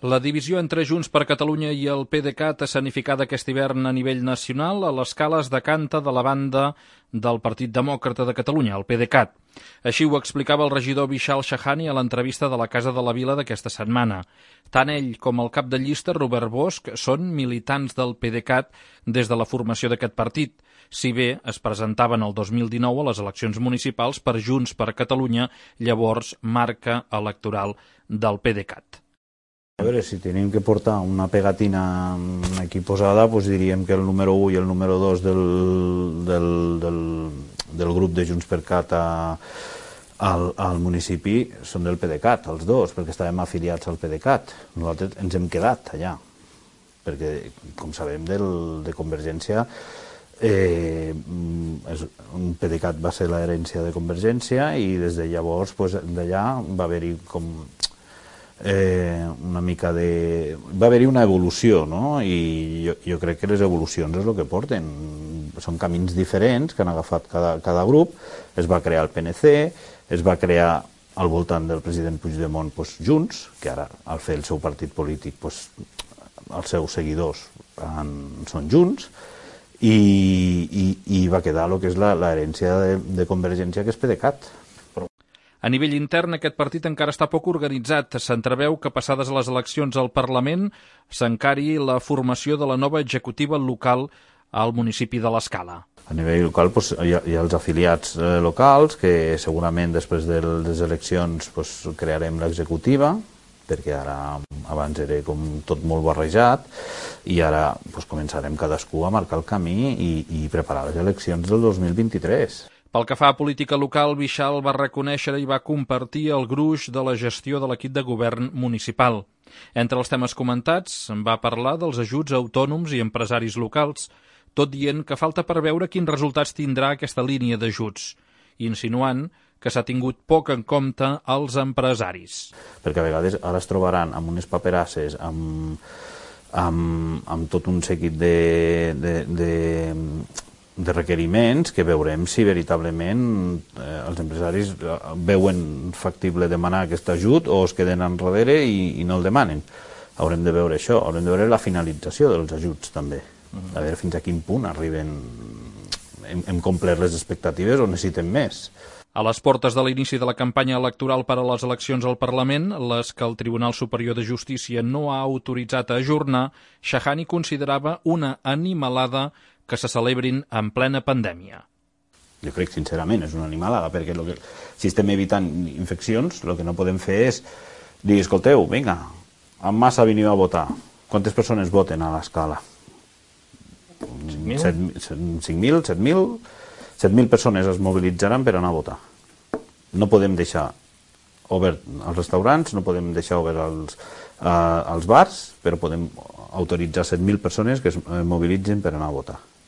La divisió entre Junts per Catalunya i el PDeCAT escenificada aquest hivern a nivell nacional a l'escala es decanta de la banda del Partit Demòcrata de Catalunya, el PDeCAT. Així ho explicava el regidor Vishal Shahani a l'entrevista de la Casa de la Vila d'aquesta setmana. Tant ell com el cap de llista, Robert Bosch, són militants del PDeCAT des de la formació d'aquest partit, si bé es presentaven el 2019 a les eleccions municipals per Junts per Catalunya, llavors marca electoral del PDeCAT. A veure, si tenim que portar una pegatina aquí posada, doncs diríem que el número 1 i el número 2 del grup de Junts per Cat al municipi són del PDeCAT, els dos, perquè estàvem afiliats al PDeCAT. Nosaltres ens hem quedat allà, perquè, com sabem, de Convergència, un PDeCAT va ser l'herència de Convergència i des de llavors, d'allà va haver-hi com una mica de... va haver-hi una evolució, no? I jo crec que les evolucions és el que porten. Són camins diferents que han agafat cada grup. Es va crear el PNC, es va crear al voltant del president Puigdemont Junts, que ara, al fer el seu partit polític, els seus seguidors són Junts, i va quedar el que és l'herència de Convergència, que és PDeCAT. A nivell intern, aquest partit encara està poc organitzat. S'entreveu que, passades les eleccions al Parlament, s'encari la formació de la nova executiva local al municipi de l'Escala. A nivell local hi ha els afiliats locals, que segurament després de les eleccions crearem l'executiva, perquè ara abans era com tot molt barrejat, i ara començarem cadascú a marcar el camí i preparar les eleccions del 2023. Pel que fa a política local, Vishal va reconèixer i va compartir el gruix de la gestió de l'equip de govern municipal. Entre els temes comentats, va parlar dels ajuts a autònoms i empresaris locals, tot dient que falta per veure quins resultats tindrà aquesta línia d'ajuts, insinuant que s'ha tingut poc en compte els empresaris. Perquè a vegades ara es trobaran amb unes paperasses, amb tot un seguit de requeriments que veurem si veritablement els empresaris veuen factible demanar aquest ajut o es queden enrere i no el demanen. Haurem de veure això, haurem de veure la finalització dels ajuts també, a veure fins a quin punt arriben, hem complert les expectatives o necessitem més. A les portes de l'inici de la campanya electoral per a les eleccions al Parlament, les que el Tribunal Superior de Justícia no ha autoritzat a ajornar, Shahani considerava una animalada que se celebrin en plena pandèmia. Jo crec, sincerament, és una animalada, perquè si estem evitant infeccions, el que no podem fer és dir, escolteu, vinga, en massa veniu a votar. Quantes persones voten a l'Escala? 5.000, 7.000? 7.000 persones es mobilitzaran per anar a votar. No podem deixar obert els restaurants, no podem deixar obert els bars, però podem autoritzar 7.000 persones que es mobilitzen per anar a votar.